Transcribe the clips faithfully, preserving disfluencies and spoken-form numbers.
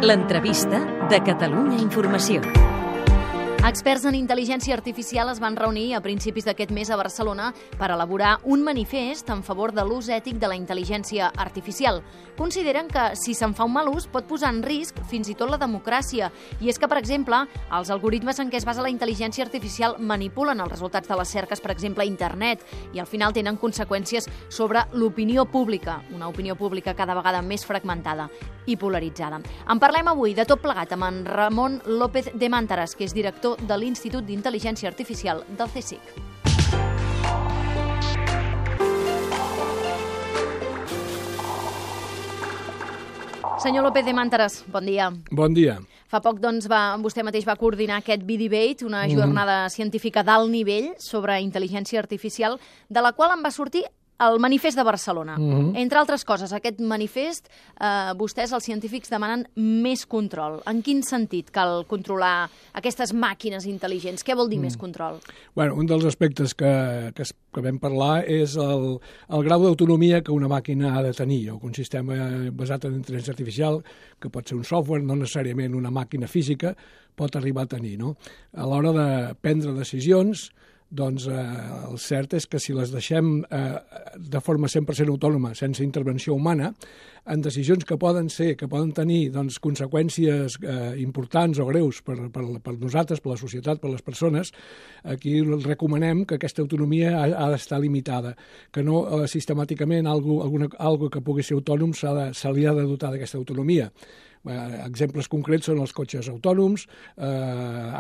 L'entrevista de Catalunya Informació. Experts en intel·ligència artificial es van reunir a principis d'aquest mes a Barcelona per elaborar un manifest en favor de l'ús ètic de la intel·ligència artificial. Consideren que, si se'n fa un mal ús, pot posar en risc fins i tot la democràcia. I és que, per exemple, els algoritmes en què es basa la intel·ligència artificial manipulen els resultats de les cerques, per exemple, a internet, i al final tenen conseqüències sobre l'opinió pública, una opinió pública cada vegada més fragmentada i polaritzada. En parlem avui de tot plegat amb en Ramon López de Mántaras, que és director de l'Institut d'Intel·ligència Artificial del C S I C. Senyor López de Mántaras, bon dia. Bon dia. Fa poc, doncs, va, vostè mateix va coordinar aquest V-Debate, una jornada mm. científica d'alt nivell sobre intel·ligència artificial, de la qual en va sortir el manifest de Barcelona. Mm-hmm. Entre altres coses, aquest manifest, eh, vostès, els científics, demanen més control. En quin sentit cal controlar aquestes màquines intel·ligents? Què vol dir mm. més control? Bueno, un dels aspectes que, que, que vam parlar és el, el grau d'autonomia que una màquina ha de tenir, o un sistema basat en intel·ligència artificial, que pot ser un software, no necessàriament una màquina física, pot arribar a tenir, no? A l'hora de prendre decisions, doncs eh, el cert és que si les deixem eh, de forma cent per cent autònoma, sense intervenció humana, en decisions que poden ser, que poden tenir doncs, conseqüències eh, importants o greus per, per, per nosaltres, per la societat, per les persones, aquí recomanem que aquesta autonomia ha, ha d'estar limitada, que no eh, sistemàticament algo, alguna, algo que pugui ser autònom se li ha de dotar d'aquesta autonomia. Eh, exemples concrets són els cotxes autònoms, eh,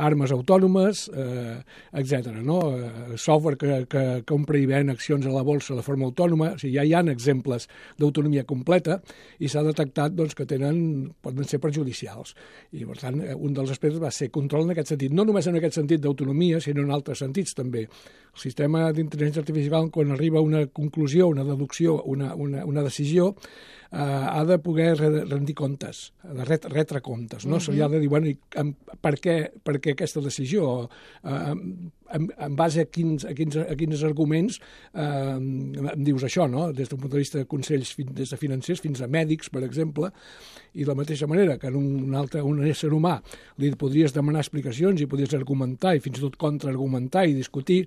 armes autònomes, eh, etcètera. No? Eh, software que, que compra i ven accions a la borsa de forma autònoma. O sigui, ja hi ha exemples d'autonomia completa i s'ha detectat doncs, que tenen, poden ser perjudicials. I, per tant, un dels aspectes va ser control en aquest sentit. No només en aquest sentit d'autonomia, sinó en altres sentits també. El sistema d'intel·ligència artificial, quan arriba a una conclusió, una deducció, una, una, una decisió, eh, ha de poder rendir comptes, de ret, retre comptes, no? Uh-huh. Se li ha de dir, bueno, i, per, què, per què aquesta decisió? Eh, en, en base a quins, a quins, a quins arguments eh, em dius això, no? Des d'un punt de vista de consells, des de financers fins a mèdics, per exemple, i de la mateixa manera que en un altre un ésser humà li podries demanar explicacions i podries argumentar i fins i tot contraargumentar i discutir,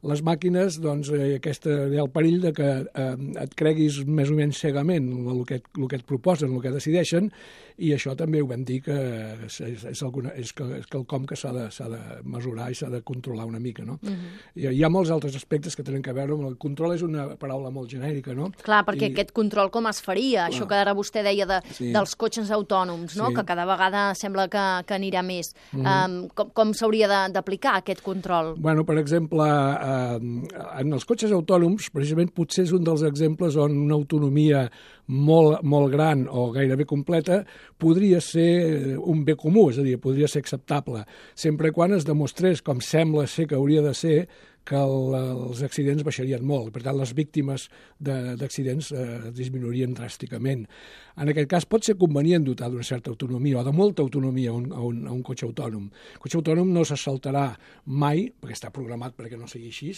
les màquines, doncs, eh, aquesta, hi ha el perill de que eh, et creguis més o menys cegament el que, el que et proposen, el que decideixen, i això també ho vam dir que és, és, alguna, és, que, és quelcom que s'ha de, s'ha de mesurar i s'ha de controlar una mica, no? Uh-huh. Hi, hi ha molts altres aspectes que tenen a veure amb el control, és una paraula molt genèrica, no? Clar, perquè I... aquest control com es faria? Clar. Això que ara vostè deia de, sí. dels cotxes autònoms, no? Sí. Que cada vegada sembla que, que anirà més. Uh-huh. um, com com s'hauria d'aplicar aquest control? Bueno, per exemple, eh, en els cotxes autònoms, precisament potser és un dels exemples on una autonomia molt, molt gran o gairebé completa podria ser un bé comú, és a dir, podria ser acceptable, sempre quan es demostrés, com sembla ser que hauria de ser, que el, els accidents baixarien molt. Per tant, les víctimes d'accidents eh, disminuirien dràsticament. En aquest cas, pot ser convenient dotar d'una certa autonomia o de molta autonomia a un, a un, a un cotxe autònom. El cotxe autònom no se saltarà mai, perquè està programat perquè no sigui així,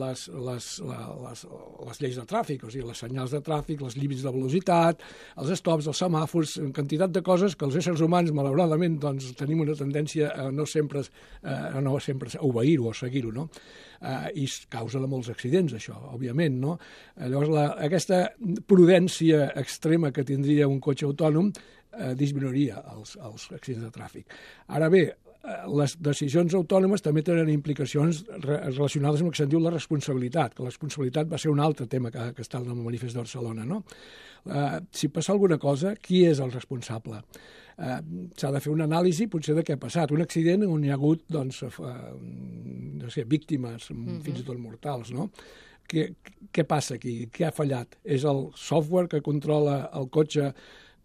les, les, les, les lleis de tràfic, o sigui, les senyals de tràfic, les límits de velocitat, els stops, els semàfors, en quantitat de coses que els éssers humans, malauradament, doncs, tenim una tendència a no sempre, a no sempre obeir-ho o seguir-ho, no? Uh, i causa de molts accidents, això, òbviament, no? Llavors, la, aquesta prudència extrema que tindria un cotxe autònom uh, disminuiria els, els accidents de tràfic. Ara bé, uh, les decisions autònomes també tenen implicacions re relacionades amb el que se'n diu la responsabilitat, que la responsabilitat va ser un altre tema que, que està en el manifest de Barcelona, no? Uh, si passa alguna cosa, qui és el responsable? Uh, s'ha de fer una anàlisi potser de què ha passat. Un accident on hi ha hagut doncs, uh, no sé, víctimes, mm-hmm. fins i tot mortals, no? Què, què passa aquí? Què ha fallat? És el software que controla el cotxe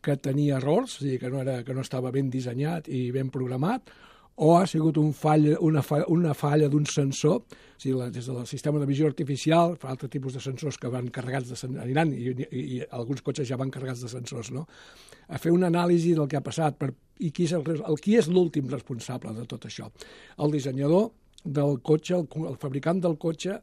que tenia errors, és a dir, que no, era, que no estava ben dissenyat i ben programat, o ha sigut un fall, una, fa, una falla d'un sensor, o sigui, la, des del sistema de visió artificial, fa altres tipus de sensors que van carregats de aniran, i, i, i alguns cotxes ja van carregats de sensors, no? A fer una anàlisi del que ha passat per, i qui és, el, el, qui és l'últim responsable de tot això. El dissenyador del cotxe, el, el fabricant del cotxe,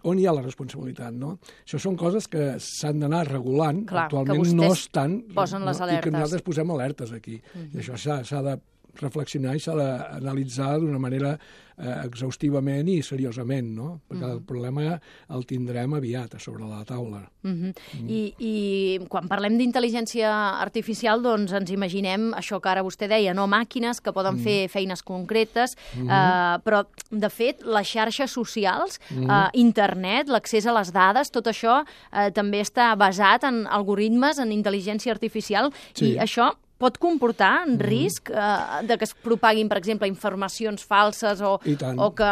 on hi ha la responsabilitat, no? Això són coses que s'han d'anar regulant. Clar, actualment no estan... posen les no, alertes. I que nosaltres posem alertes aquí. Mm-hmm. I això s'ha de reflexionar i s'ha d'analitzar d'una manera eh, exhaustivament i seriosament, no? Perquè mm-hmm. el problema el tindrem aviat a sobre la taula. Mm-hmm. Mm. I, I quan parlem d'intel·ligència artificial, doncs ens imaginem això que ara vostè deia, no? Màquines que poden mm. fer feines concretes, mm-hmm. eh, però, de fet, les xarxes socials, mm-hmm. eh, internet, l'accés a les dades, tot això eh, també està basat en algoritmes, en intel·ligència artificial, sí. i això pot comportar en risc eh, de que es propaguin, per exemple, informacions falses o, o que,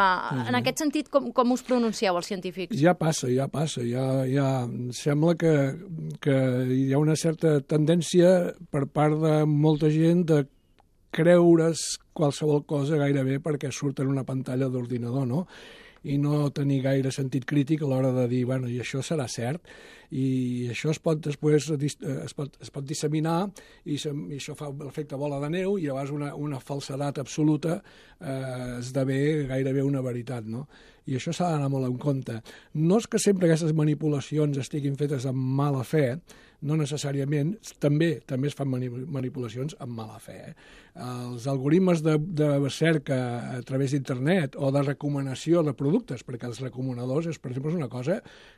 en aquest sentit, com, com us pronuncieu els científics? Ja passa, ja passa. Ja, ja sembla que, que hi ha una certa tendència per part de molta gent de creure's qualsevol cosa gairebé perquè surt en una pantalla d'ordinador, no? I no tenir gaire sentit crític a l'hora de dir, bueno, i això serà cert, i això es pot després es pot, es pot disseminar i, se, i això fa l'efecte bola de neu i llavors una, una falsedat absoluta eh, esdevé gairebé una veritat, no? I això s'ha d'anar molt en compte. No és que sempre aquestes manipulacions estiguin fetes amb mala fe, no necessàriament, també també es fan manipulacions amb mala fe. Eh? Els algoritmes de, de cerca a través d'internet o de recomanació de productes, perquè els recomanadors, és, per exemple, és una cosa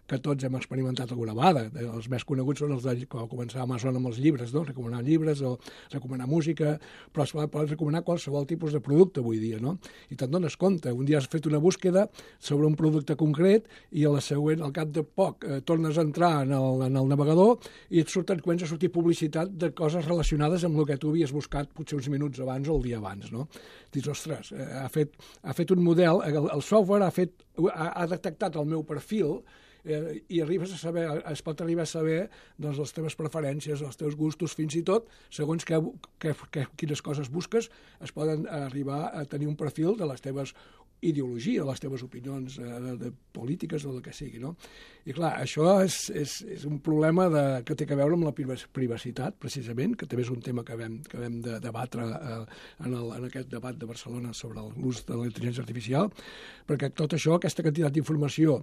que tots hem experimentat alguna vegada. Els més coneguts són els de quan va començar Amazon amb els llibres, no? Recomanar llibres o recomanar música, però es pot recomanar qualsevol tipus de producte avui dia, no? I te'n dones compte. Un dia has fet una búsqueda sobre un producte concret i a la següent, al cap de poc, eh, tornes a entrar en el, en el navegador i et surten, comença a sortir publicitat de coses relacionades amb el que tu havies buscat potser uns minuts abans o el dia abans, no? Dius, ostres, eh, ha, fet, ha fet un model, el, el software ha, fet, ha, ha detectat el meu perfil eh, i arribes a saber, es pot arribar a saber doncs, les teves preferències, els teus gustos, fins i tot, segons que, que, que, quines coses busques, es poden arribar a tenir un perfil de les teves ideologia, les teves opinions eh, de, de polítiques o del que sigui, no? I clar, això és, és, és un problema de, que té a veure amb la privacitat, precisament, que també és un tema que vam, que vam de debatre eh, en, el, en aquest debat de Barcelona sobre l'ús de la intel·ligència artificial, perquè tot això, aquesta quantitat d'informació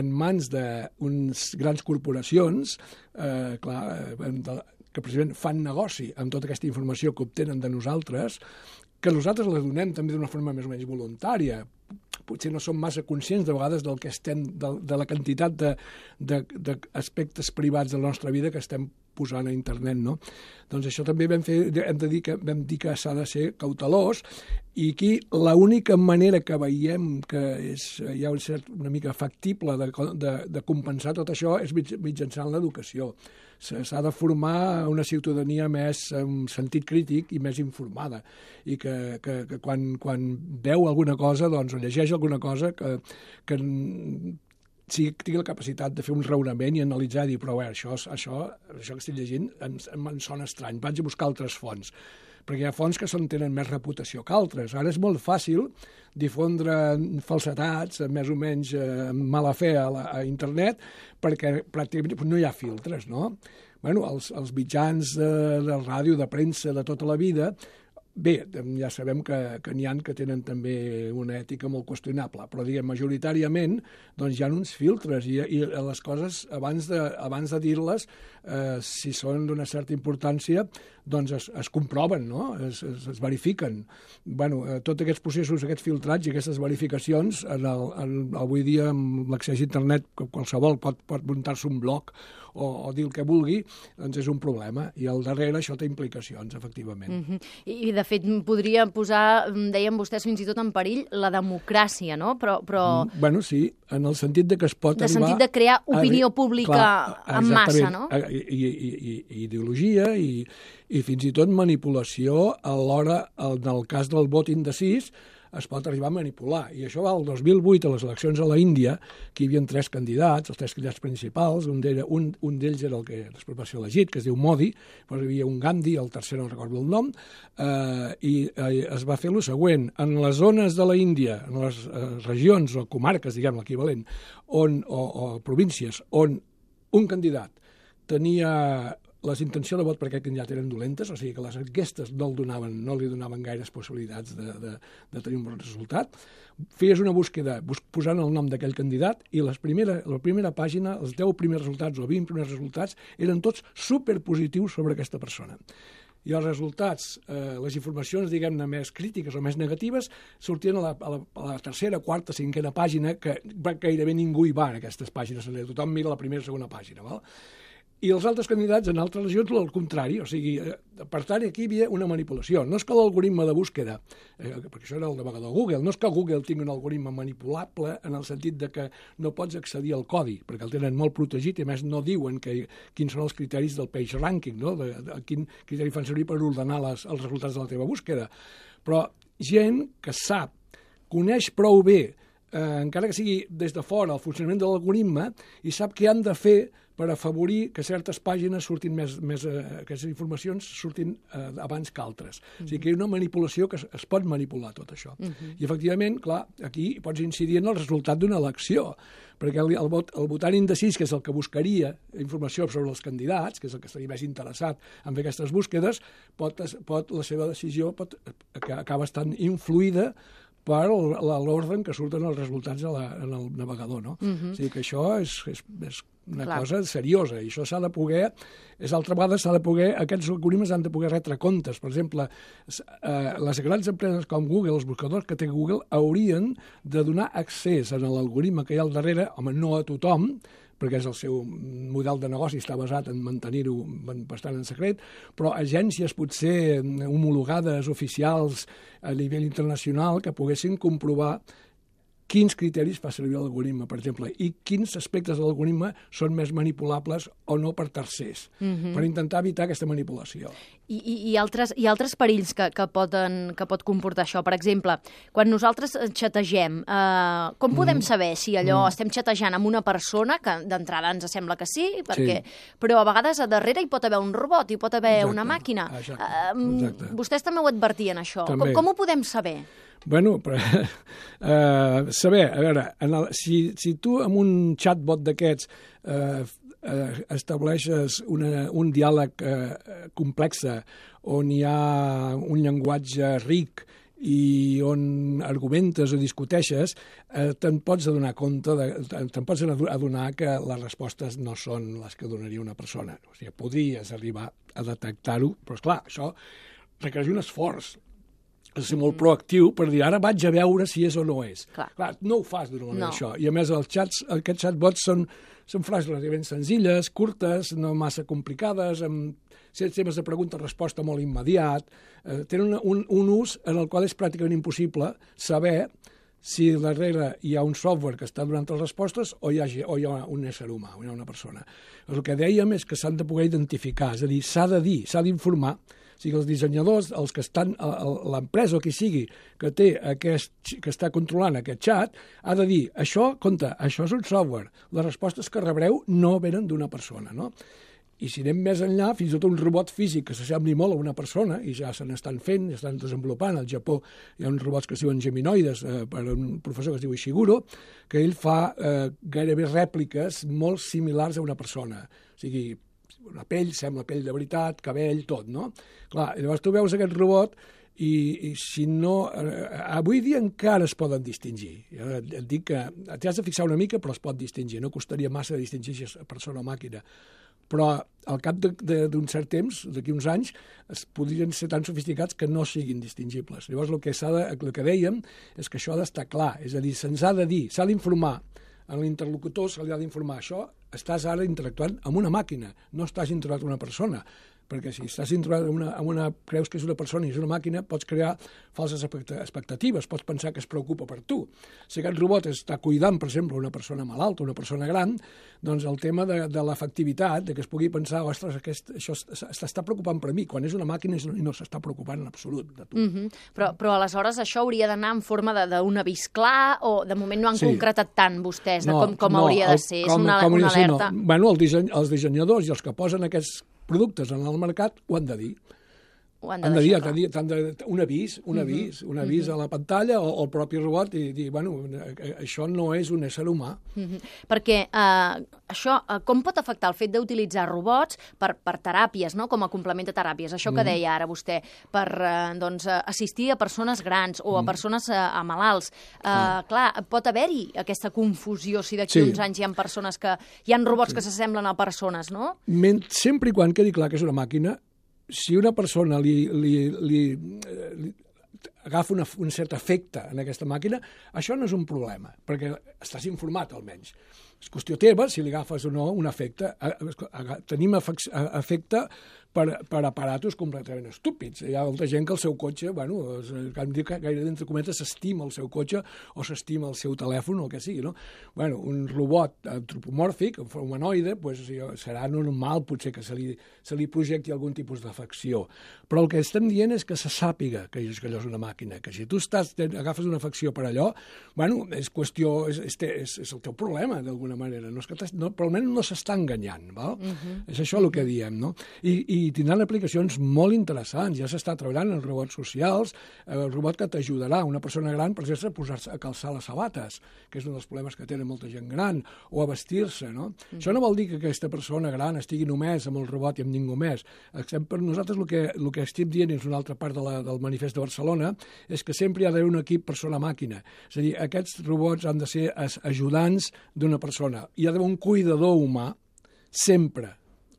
en mans d'unes grans corporacions, eh, clar, eh, que precisament fan negoci amb tota aquesta informació que obtenen de nosaltres, que nosaltres la donem també d'una forma més o menys voluntària. Potser no som massa conscients de vegades del que estem, de, de la quantitat d'aspectes privats de la nostra vida que estem posant a internet, no? Doncs això també vam, fer, hem de dir que, vam dir que s'ha de ser cautelós i aquí l'única manera que veiem que és, hi ha un cert, una mica factible de, de, de compensar tot això és mitjançant l'educació. S'ha de formar una ciutadania més amb sentit crític i més informada i que, que, que quan, quan veu alguna cosa doncs, o llegeix alguna cosa que, que si tingui la capacitat de fer un raonament i analitzar i dir, però bé, això, això, això que estic llegint em, em sona estrany, vaig a buscar altres fonts, perquè hi ha fonts que són, tenen més reputació que altres. Ara és molt fàcil difondre falsetats, més o menys eh, mala fe a, la, a internet, perquè pràcticament no hi ha filtres, no? Bueno, els, els mitjans de, de ràdio, de premsa, de tota la vida, bé, ja sabem que, que n'hi ha que tenen també una ètica molt qüestionable, però diguem, majoritàriament doncs hi ha uns filtres i, i les coses, abans de, abans de dir-les, eh, si són d'una certa importància, doncs es, es comproven, no? es, es, es verifiquen. Bueno, eh, tots aquests processos, aquests filtrats i aquestes verificacions, en el, en, avui dia amb l'accés a internet, qualsevol pot, pot muntar-se un blog o, o dir el que vulgui, doncs és un problema. I al darrere això té implicacions, efectivament. Mm-hmm. I, de fet, podria posar, deien vostès, fins i tot en perill la democràcia, no? Però, però... Mm, bueno, sí, en el sentit de que es pot de arribar... De sentit de crear opinió a... pública clar, en massa, no? I, i, i, i ideologia i, i fins i tot manipulació a l'hora, en el cas del vot indecís, es pot arribar a manipular. I això va al dos mil vuit, a les eleccions a la Índia, que hi havia tres candidats, els tres candidats principals, un d'ells un, un era el que després va ser elegit, que es diu Modi, però hi havia un Gandhi, el tercer no recordo el nom, eh, i eh, es va fer el següent. En les zones de la Índia, en les eh, regions o comarques, diguem l'equivalent, on, o, o províncies, on un candidat tenia les intencions de vot per aquest candidat eren dolentes, o sigui que les enquestes no, el donaven, no li donaven gaires possibilitats de, de, de tenir un bon resultat. Feies una búsqueda bus posant el nom d'aquell candidat i les primera, la primera pàgina, els deu primers resultats o vint primers resultats, eren tots superpositius sobre aquesta persona. I els resultats, eh, les informacions, diguem-ne, més crítiques o més negatives, sortien a la, a la, a la tercera, quarta, cinquena pàgina, que gairebé ningú hi va en aquestes pàgines, tothom mira la primera o segona pàgina, val? I els altres candidats en altres regions al contrari, o sigui, per tant, aquí hi havia una manipulació. No és que l'algoritme de búsqueda, eh, perquè això era el navegador Google, no és que Google tingui un algoritme manipulable en el sentit de que no pots accedir al codi, perquè el tenen molt protegit i a més no diuen que, quins són els criteris del page ranking, no? de, de, quin criteri fan servir per ordenar les, els resultats de la teva búsqueda. Però gent que sap, coneix prou bé, eh, encara que sigui des de fora, el funcionament de l'algoritme, i sap què han de fer per afavorir que certes pàgines surtin més, més eh, aquestes informacions surtin eh, abans que altres. Uh-huh. O sigui que hi ha una manipulació que es, es pot manipular tot això. Uh-huh. I efectivament, clar, aquí pots incidir en el resultat d'una elecció, perquè el, el, vot, el votant indecís, que és el que buscaria informació sobre els candidats, que és el que estaria més interessat en fer aquestes búsquedes, pot, pot, la seva decisió pot, que acaba estant influïda per l'ordre en què surten els resultats a la, en el navegador, no? Uh-huh. O sigui que això és, és, és una Clar. cosa seriosa, i això s'ha de poder, és altra vegada, s'ha de poder, aquests algoritmes han de poder retre comptes. Per exemple, eh, les grans empreses com Google, els buscadors que té Google, haurien de donar accés a l'algoritme que hi ha al darrere, home, no a tothom, perquè és el seu model de negoci, està basat en mantenir-ho bastant en secret, però agències potser homologades, oficials a nivell internacional, que poguessin comprovar quins criteris fa servir l'algoritme, per exemple, i quins aspectes de l'algoritme són més manipulables o no per tercers, uh-huh. per intentar evitar aquesta manipulació. I, i, i, altres, i altres perills que, que, poden, que pot comportar això. Per exemple, quan nosaltres xategem, eh, com podem mm. saber si allò mm. estem xatejant amb una persona, que d'entrada ens sembla que sí, perquè, sí, però a vegades a darrere hi pot haver un robot, hi pot haver Exacte. una màquina. Exacte. Eh, Exacte. Vostès també ho advertien, això. Com, com ho podem saber? Bueno, però, uh, saber, a veure, en el, si, si tu amb un chatbot d'aquests uh, uh, estableixes una, un diàleg uh, complex on hi ha un llenguatge ric i on argumentes o discuteixes, eh, te'n pots adonar compte, de, te'n pots adonar que les respostes no són les que donaria una persona. O sigui, podries arribar a detectar-ho, però esclar, això requereix un esforç. És ser molt proactiu per dir, ara vaig a veure si és o no és. Clar, Clar no ho fas d'una manera, no. això. I a més, els xats, aquests chatbots són, són frases relativament senzilles, curtes, no massa complicades, amb sistemes de pregunta-resposta molt immediat. Eh, tenen un, un ús en el qual és pràcticament impossible saber si darrere hi ha un software que està donant les respostes o hi ha, o hi ha un ésser humà, o hi ha una persona. El que dèiem és que s'han de poder identificar, és a dir, s'ha de dir, s'ha d'informar. O sigui, els dissenyadors, els que estan, l'empresa o qui sigui que té aquest, que està controlant aquest xat, ha de dir, això, compte, això és un software, les respostes que rebreu no venen d'una persona, no? I si anem més enllà, fins i tot un robot físic que s'assembli molt a una persona, i ja se n'estan fent, ja estan desenvolupant, al Japó hi ha uns robots que es diuen geminoides, eh, per un professor que es diu Ishiguro, que ell fa eh, gairebé rèpliques molt similars a una persona. O sigui, la pell sembla pell de veritat, cabell, tot, no? Clar, llavors tu veus aquest robot i, i si no... Eh, avui dia encara es poden distingir. Jo et dic que t'has de fixar una mica, però es pot distingir. No costaria massa distingir si és persona o màquina. Però al cap d'un cert temps, d'aquí uns anys, es podrien ser tan sofisticats que no siguin distingibles. Llavors el que, s'ha de, el que dèiem és que això ha d'estar clar. És a dir, se'ns ha de dir, s'ha d'informar a l'interlocutor, se li ha d'informar això, estàs ara interactuant amb una màquina, no estàs interactuant amb una persona, perquè si estàs interactuant amb una, amb una, creus que és una persona i és una màquina, pots crear falses expectatives, pots pensar que es preocupa per tu. Si aquest robot està cuidant, per exemple, una persona malalta, una persona gran, doncs el tema de, de l'efectivitat, de que es pugui pensar, ostres, aquest, això s'està preocupant per mi, quan és una màquina i no s'està preocupant en absolut de tu. Mm-hmm. però, però aleshores això hauria d'anar en forma d'un avís clar, o de moment no han sí. concretat tant vostès de no, com, com no, hauria de ser, el, com, és una, com una alerta? No. Bueno, el disseny, els dissenyadors i els que posen aquests productes en el mercat ho han de dir. ho han de han de deixar dir, clar. han de, un avís, un avís, un avís a la pantalla o al propi robot i dir, bueno, això no és un ésser humà. Mm-hmm. Perquè eh, això, eh, com pot afectar el fet d'utilitzar robots per, per teràpies, no? Com a complement de teràpies? Això que deia ara vostè, per eh, doncs, assistir a persones grans o a persones eh, a malalts. Eh, mm. Clar, pot haver-hi aquesta confusió si d'aquí Sí. uns anys hi ha persones que... Hi ha robots sí. que s'assemblen a persones, no? Men, sempre i quan quedi clar que és una màquina, si una persona li, li, li, li agafa una, un cert efecte en aquesta màquina, això no és un problema, perquè estàs informat almenys. És qüestió teva si li agafes o no un efecte. Tenim efecte per, per aparatos completament estúpids. Hi ha molta gent que el seu cotxe, bueno, hem dit que gairebé entre cometes s'estima el seu cotxe o s'estima el seu telèfon o el que sigui, no? Bueno, un robot antropomòrfic, humanoide, pues, serà normal potser que se li, se li projecti algun tipus d'afecció. Però el que estem dient és que se sàpiga que allò és una màquina, que si tu estàs, agafes una afecció per allò, bueno, és qüestió, és, és, és, és el teu problema, d'alguna manera. No és que no, però almenys no s'està enganyant, val? Uh-huh. És això el que diem, no? I, i tindran aplicacions molt interessants. Ja s'està treballant en robots socials, el robot que t'ajudarà, una persona gran, per exemple, a posar-se a calçar les sabates, que és un dels problemes que tenen molta gent gran, o a vestir-se, no? Uh-huh. Això no vol dir que aquesta persona gran estigui només amb el robot i amb ningú més. Per nosaltres el que, el que estem dient, és una altra part de la, del manifest de Barcelona, és que sempre hi ha d'haver un equip persona-màquina. És a dir, aquests robots han de ser ajudants d'una persona. Hi ha d'haver un cuidador humà, sempre,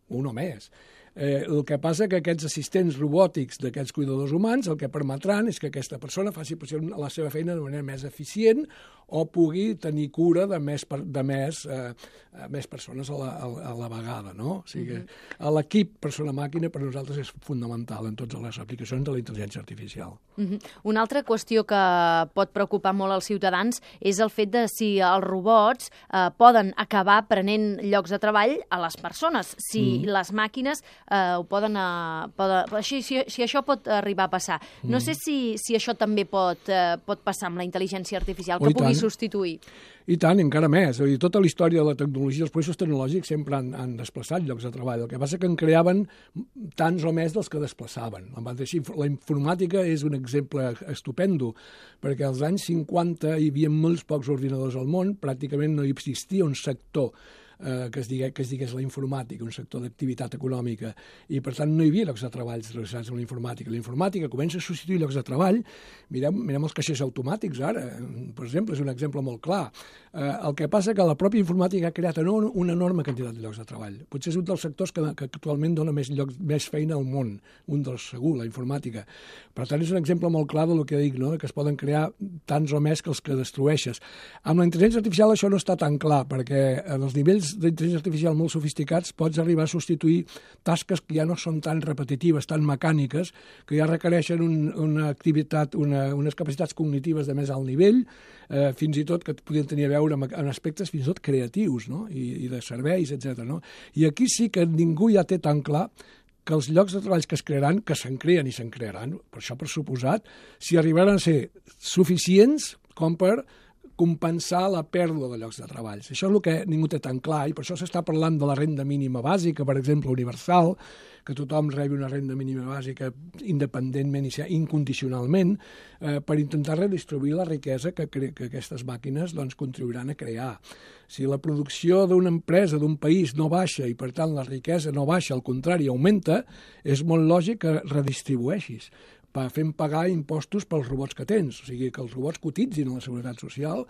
un o més. Eh, el que passa que aquests assistents robòtics d'aquests cuidadors humans el que permetran és que aquesta persona faci la seva feina de manera més eficient o pugui tenir cura de més, de més, eh, més persones a la, a la vegada, no? O sigui, uh-huh. l'equip persona-màquina per nosaltres és fundamental en totes les aplicacions de la intel·ligència artificial. Uh-huh. Una altra qüestió que pot preocupar molt als ciutadans és el fet de si els robots eh, poden acabar prenent llocs de treball a les persones, si mm. les màquines eh, ho poden... Eh, poden així, si, si això pot arribar a passar. Mm. No sé si, si això també pot, eh, pot passar amb la intel·ligència artificial, que pugui substituir. I tant, encara més. O sigui, tota la història de la tecnologia, els processos tecnològics sempre han, han desplaçat llocs de treball. El que passa que en creaven tants o més dels que desplaçaven. La informàtica és un exemple estupendo, perquè als anys cinquanta hi havia molts pocs ordinadors al món, pràcticament no hi existia un sector Eh, que, es digués, que es digués la informàtica, un sector d'activitat econòmica, i per tant no hi havia llocs de treball relacionats amb la informàtica. La informàtica comença a substituir llocs de treball. Mirem, mirem els caixers automàtics ara, per exemple, és un exemple molt clar. Eh, el que passa que la pròpia informàtica ha creat una enorme quantitat de llocs de treball. Potser és un dels sectors que, que actualment dona més, llocs, més feina al món, un dels segur, la informàtica. Per tant, és un exemple molt clar del que dic, no? Que es poden crear tants o més que els que destrueixes. Amb la intel·ligència artificial això no està tan clar, perquè en els nivells d'intel·ligència artificial molt sofisticats pots arribar a substituir tasques que ja no són tan repetitives, tan mecàniques, que ja requereixen un, una activitat, una, unes capacitats cognitives de més alt nivell, eh, fins i tot que podien tenir a veure amb, amb aspectes fins i tot creatius, no? I, i de serveis, etcètera. No? I aquí sí que ningú ja té tan clar que els llocs de treball que es crearan, que se'n creen i se'n crearan, per això per suposat, si arribaran a ser suficients com per compensar la pèrdua de llocs de treball. Això és el que ningú té tan clar, i per això s'està parlant de la renda mínima bàsica, per exemple, universal, que tothom rebi una renda mínima bàsica independentment i incondicionalment, eh, per intentar redistribuir la riquesa que, que aquestes màquines doncs, contribuiran a crear. Si la producció d'una empresa, d'un país, no baixa i, per tant, la riquesa no baixa, al contrari, augmenta, és molt lògic que redistribueixis, fent pagar impostos pels robots que tens, o sigui, que els robots cotitzin a la Seguretat Social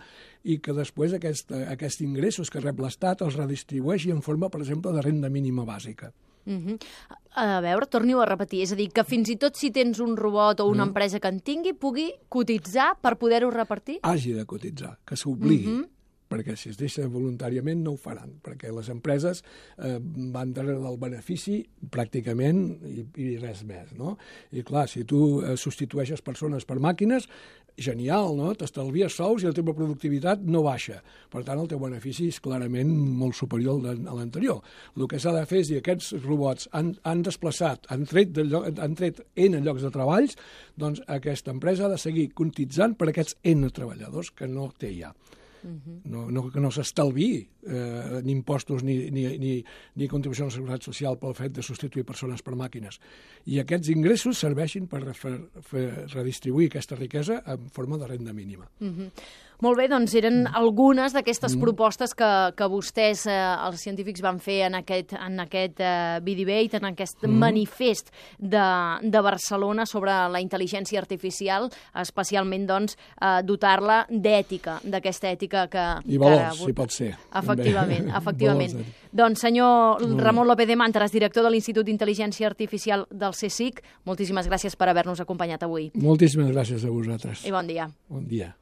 i que després aquest, aquests ingressos que rep l'Estat els redistribueixi en forma, per exemple, de renda mínima bàsica. Uh-huh. A veure, torni-ho a repetir, és a dir, que fins i tot si tens un robot o una uh-huh. empresa que en tingui, pugui cotitzar per poder-ho repartir? Hagi de cotitzar, que s'obligui. Uh-huh. Perquè si es deixa voluntàriament no ho faran, perquè les empreses eh, van darrere del benefici pràcticament i, i res més, no? I clar, si tu eh, substitueixes persones per màquines, genial, no? T'estalvies sous i la teva productivitat no baixa. Per tant, el teu benefici és clarament molt superior a l'anterior. El que s'ha de fer és dir, aquests robots han, han desplaçat, han tret, de lloc, han tret N llocs de treballs, doncs aquesta empresa ha de seguir cotitzant per aquests N treballadors que no té ja. Uh-huh. no, no, que no s'estalviï eh, ni impostos ni, ni, ni, ni contribució a la seguretat social pel fet de substituir persones per màquines. I aquests ingressos serveixin per fer, fer redistribuir aquesta riquesa en forma de renda mínima. Uh-huh. Molt bé, doncs eren algunes d'aquestes mm. propostes que, que vostès, eh, els científics, van fer en aquest, en aquest eh, B-Debate, en aquest mm. manifest de, de Barcelona sobre la intel·ligència artificial, especialment doncs, eh, dotar-la d'ètica, d'aquesta ètica que... I valors, que ara... si pot ser. Efectivament, efectivament. Doncs senyor mm. Ramon López de Màntaras, director de l'Institut d'Intel·ligència Artificial del CSIC, moltíssimes gràcies per haver-nos acompanyat avui. Moltíssimes gràcies a vosaltres. I bon dia. Bon dia.